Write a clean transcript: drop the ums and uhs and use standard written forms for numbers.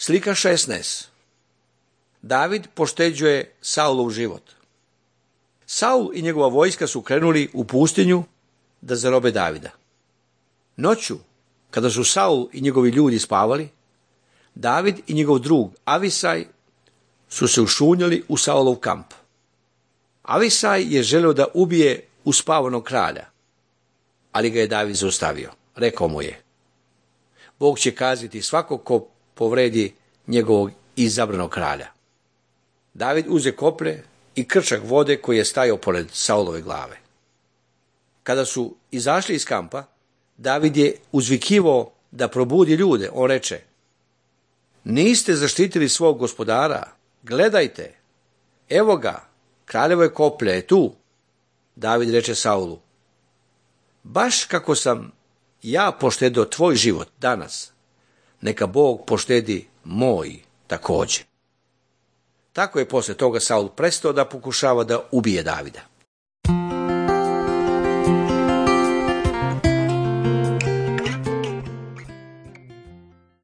Slika 16. David pošteđuje Saulov život. Saul i njegova vojska su krenuli u pustinju da zarobe Davida. Noću, kada su Saul i njegovi ljudi spavali, David i njegov drug Avisaj su se ušunjali u Saulov kamp. Avisaj je želeo da ubije uspavanog kralja, ali ga je David zaustavio. Rekao mu je: Bog će kazniti svakog ko povredi njegovog izabranog kralja. David uze koplje i krčak vode koji je stajao pored Saulove glave. Kada su izašli iz kampa, David je uzvikivao da probudi ljude. On reče: Niste zaštitili svog gospodara, gledajte, evo ga, kraljevo je koplje je tu. David reče Saulu: Baš kako sam ja poštedio tvoj život danas, neka Bog poštedi moj također. Tako je posle toga Saul prestao da pokušava da ubije Davida.